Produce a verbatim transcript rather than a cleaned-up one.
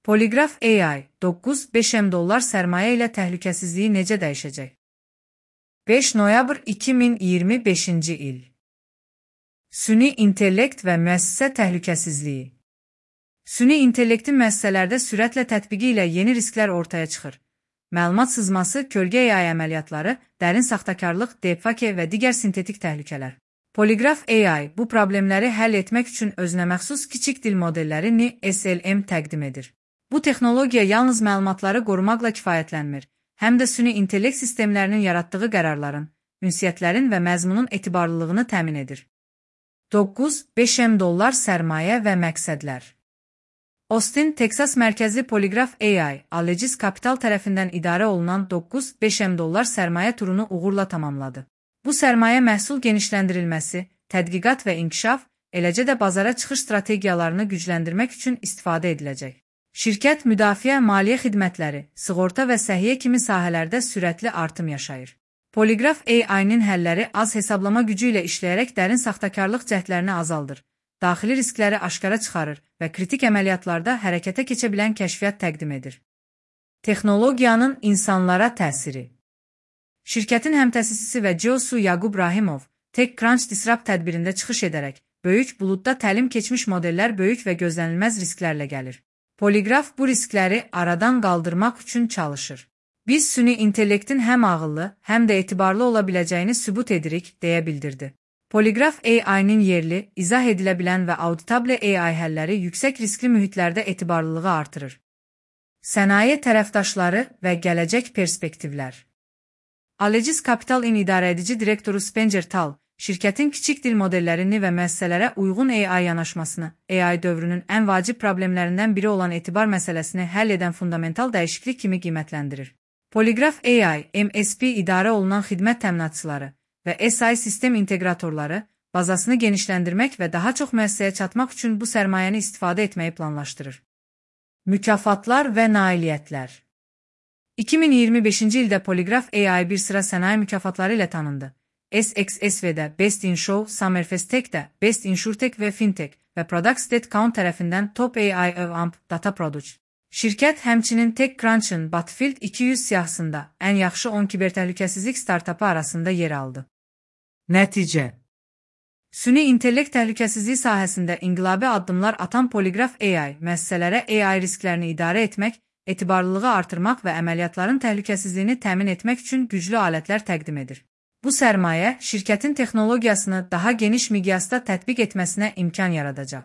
Poligraf A I doqquz beş M dollar sərmayə ilə təhlükəsizliyi necə dəyişəcək? beş noyabr iki min iyirmi beşinci il. Süni intellekt və müəssisə təhlükəsizliyi. Süni intellektin müəssisələrdə sürətlə tətbiqi ilə yeni risklər ortaya çıxır. Məlumat sızması, kölgə A I əməliyyatları, dərin saxtakarlıq, deepfake və digər sintetik təhlükələr. Poligraf A I bu problemləri həll etmək üçün özünəməxsus kiçik dil modellərini S L M təqdim edir. Bu texnologiya yalnız məlumatları qorumaqla kifayətlənmir, həm də süni intellekt sistemlərinin yaratdığı qərarların, ünsiyyətlərin və məzmunun etibarlılığını təmin edir. doqquz beş M dollar sərmayə və məqsədlər. Austin, Texas mərkəzli Poligraf A I, Allegis Capital tərəfindən idarə olunan doqquz beş M dollar sərmayə turunu uğurla tamamladı. Bu sərmayə məhsul genişləndirilməsi, tədqiqat və inkişaf, eləcə də bazara çıxış strategiyalarını gücləndirmək üçün istifadə ediləcək. Şirkət müdafiə, maliyyə xidmətləri, sığorta və səhiyyə kimi sahələrdə sürətli artım yaşayır. Poligraf A I-nin həlləri az hesablama gücü ilə işləyərək dərin saxtakarlıq cəhdlərini azaldır, daxili riskləri aşkara çıxarır və kritik əməliyyatlarda hərəkətə keçə bilən kəşfiyyat təqdim edir. Texnologiyanın insanlara təsiri. Şirkətin həmtəsisisi və C E O-su Yaqub Rahimov, TechCrunch Disrupt tədbirində çıxış edərək, böyük buludda təlim keçmiş modellər böyük və gözlənilməz risklərlə gəlir. Poligraf bu riskləri aradan qaldırmaq üçün çalışır. Biz süni intellektin həm ağıllı, həm də etibarlı ola biləcəyini sübut edirik, deyə bildirdi. Poligraf A I-nin yerli, izah edilə bilən və auditable A I həlləri yüksək riskli mühitlərdə etibarlılığı artırır. Sənaye tərəfdaşları və gələcək perspektivlər. Allegis Capital-in idarəedici direktoru Spencer Tal, şirkətin kiçik dil modellərini və müəssisələrə uyğun A I yanaşmasını, A I dövrünün ən vacib problemlərindən biri olan etibar məsələsini həll edən fundamental dəyişiklik kimi qiymətləndirir. Poligraf A I, M S P idarə olunan xidmət təminatçıları və S I sistem inteqratorları bazasını genişləndirmək və daha çox müəssisəyə çatmaq üçün bu sərmayəni istifadə etməyi planlaşdırır. Mükafatlar və nailiyyətlər. iki min iyirmi beşinci ildə Poligraf A I bir sıra sənaye mükafatları ilə tanındı. S X S V-də Best in Show, Summerfest Tech-də Best Insurtech və Fintech və Product State Count tərəfindən Top A I of A M P Data Product. Şirkət həmçinin TechCrunch'ın Battlefield iki yüz siyahısında ən yaxşı on kibertəhlükəsizlik startapı arasında yer aldı. Nəticə. Süni intellekt təhlükəsizliyi sahəsində inqilabi addımlar atan Poligraf A I, müəssisələrə A I risklərini idarə etmək, etibarlılığı artırmaq və əməliyyatların təhlükəsizliyini təmin etmək üçün güclü alətlər təqdim edir. Bu sərmayə şirkətin texnologiyasını daha geniş miqyasda tətbiq etməsinə imkan yaradacaq.